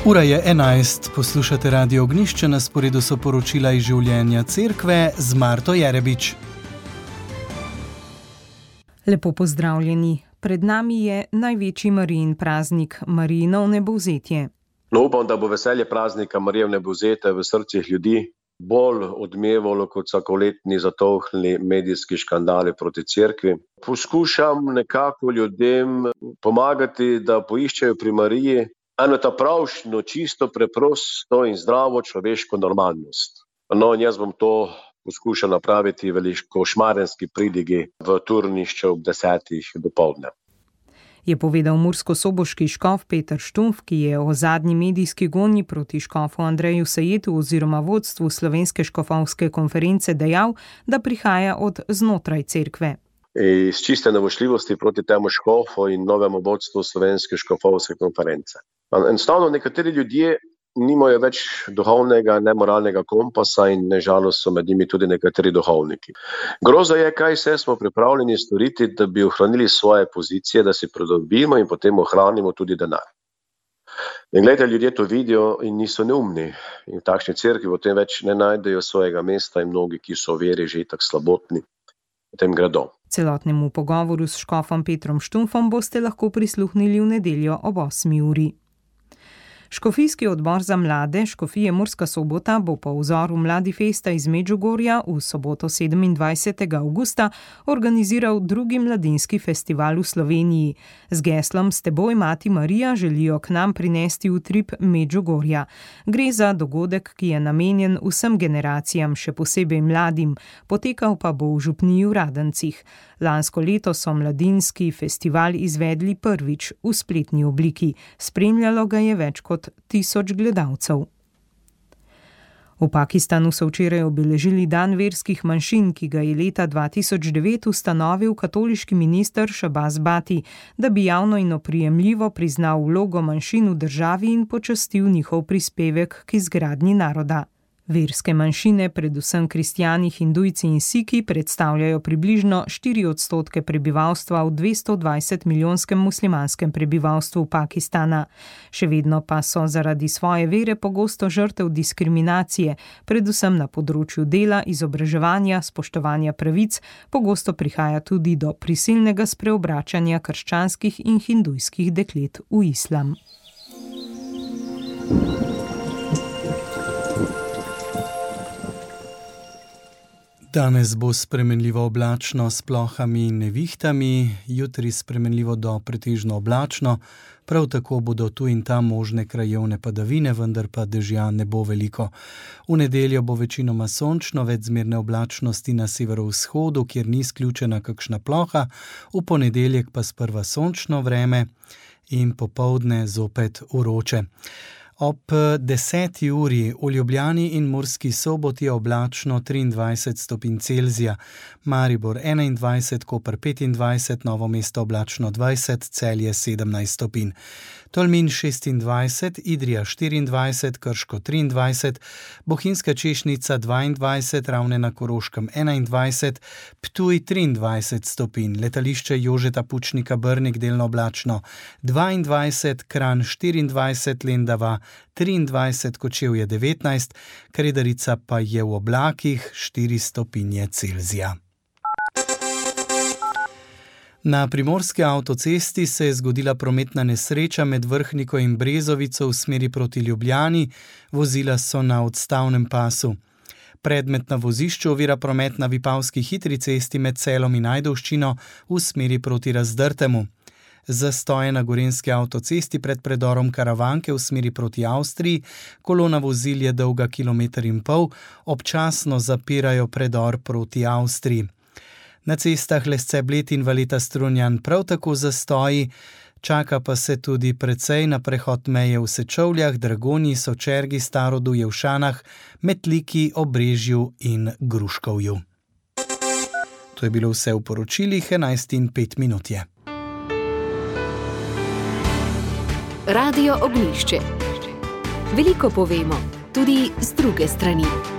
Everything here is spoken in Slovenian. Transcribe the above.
Ura je 11, poslušate Radio Ognjišče, na sporedu so poročila iz življenja cerkve z Marto Jerebič. Lepo pozdravljeni. Pred nami je največji Marijin praznik, Marijino vnebovzetje. Upam, da bo veselje praznika Marije vnebovzete v srcih ljudi bolj odmevalo kot vsakoletni zatohli medijski škandali proti cerkvi. Poskušam nekako ljudem pomagati, da poiščejo pri Mariji eno ta pravšno, čisto, preprosto in zdravo človeško normalnost. In jaz bom to poskušal napraviti v Košmarenski pridigi v turnišče ob 10. dopoldne. Je povedal murskosoboški škof Peter Štumpf, ki je o zadnji medijski gonji proti škofu Andreju Sajetu oziroma vodstvu Slovenske škofovske konference dejal, da prihaja od znotraj cerkve. Iz čiste nevošljivosti proti temu škofu in novemu vodstvu Slovenske škofovske konference. Enostavno nekateri ljudje nimajo več duhovnega, nemoralnega kompasa in nažalost so med njimi tudi nekateri duhovniki. Groza je, kaj vse smo pripravljeni storiti, da bi ohranili svoje pozicije, da si pridobimo in potem ohranimo tudi denar. In gledajte, ljudje to vidijo in niso neumni. In v takšni cerkvi potem več ne najdejo svojega mesta in mnogi, ki so v veri že tako slabotni, potem gredo. Celotnemu pogovoru s škofom Petrom Štumpfom boste lahko prisluhnili v nedeljo ob 8. uri. Škofijski odbor za mlade Škofije Murska Sobota bo po vzoru Mladifesta iz Medžugorja v soboto 27. avgusta organiziral drugi mladinski festival v Sloveniji. Z geslom S teboj, Mati Marija, želijo k nam prinesti utrip Medžugorja. Gre za dogodek, ki je namenjen vsem generacijam, še posebej mladim, potekal pa bo v župniji v Radencih. Lansko leto so mladinski festival izvedli prvič v spletni obliki. Spremljalo ga je več kot 1000 gledalcev. V Pakistanu so včeraj obeležili dan verskih manjšin, ki ga je leta 2009 ustanovil katoliški minister Shahbaz Bhatti, da bi javno in oprijemljivo priznal vlogo manjšin v državi in počastil njihov prispevek k izgradnji naroda. Verske manjšine, predvsem kristjani, hindujci in siki, predstavljajo približno 4% prebivalstva v 220-milijonskem muslimanskem prebivalstvu Pakistana. Še vedno pa so zaradi svoje vere pogosto žrtev diskriminacije, predvsem na področju dela, izobraževanja, spoštovanja pravic, pogosto prihaja tudi do prisilnega spreobračanja krščanskih in hindujskih deklet v islam. Danes bo spremenljivo oblačno s plohami in nevihtami, jutri spremenljivo do pretežno oblačno, prav tako bodo tu in tam možne krajevne padavine, vendar pa dežja ne bo veliko. V nedeljo bo večinoma sončno, več zmerne oblačnosti na severovzhodu, kjer ni izključena kakšna ploha, v ponedeljek pa sprva sončno vreme in popoldne zopet vroče. Ob 10. uri v Ljubljani in Murski Soboti je oblačno 23 stopinj Celzija, Maribor 21, Koper 25, Novo mesto oblačno 20, Celje 17 stopinj. Tolmin 26, Idrija 24, Krško 23, Bohinjska Češnica 22, Ravne na Koroškem 21, Ptuj 23 stopinj, letališče Jožeta Pučnika Brnik delno oblačno 22, Kranj 24, Lendava 23, Kočevje 19, Kredarica pa je v oblakih 4 stopinje Celzija. Na primorski avtocesti se je zgodila prometna nesreča med Vrhniko in Brezovico v smeri proti Ljubljani, vozila so na odstavnem pasu. Predmet na vozišču ovira promet na Vipavski hitri cesti med Celom in Ajdovščino v smeri proti Razdrtemu. Zastoje na gorenjski avtocesti pred predorom Karavanke v smeri proti Avstriji, kolona vozil je dolga 1,5 km, občasno zapirajo predor proti Avstriji. Na cestah Lesce-Bled in Valeta-Strunjan prav tako zastoji, čaka pa se tudi precej na prehod meje v Sečovljah, Dragonji, Sočergi, Starodu, Jevšanah, Metliki, Obrežju in Gruškovju. To je bilo vse v poročilih, 11:05 je. Radio Ognjišče. Veliko povemo, tudi z druge strani.